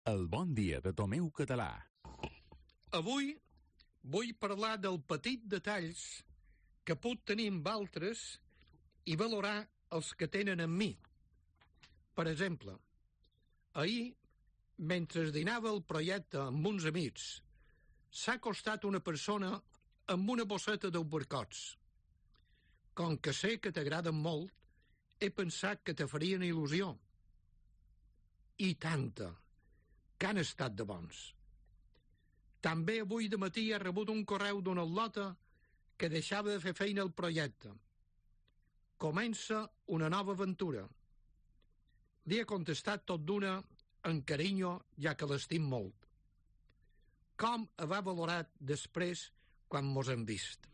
El bon dia de Tomeu Català. Avui vull parlar del petit detalls que puc tenir amb altres i valorar els que tenen amb mi. Per exemple, ahir, mentre dinava el projecte amb uns amics, s'ha acostat una persona amb una bosseta d'albercots. Com que sé que t'agraden molt, he pensat que te farien il·lusió. I tanta, que han estat de bons. També avui de matí he rebut un correu d'una al·lota que deixava de fer feina al projecte. Comença una nova aventura. Li he contestat tot d'una amb carinyo, ja que l'estim molt. Com ho ha valorat després quan mos hem vist?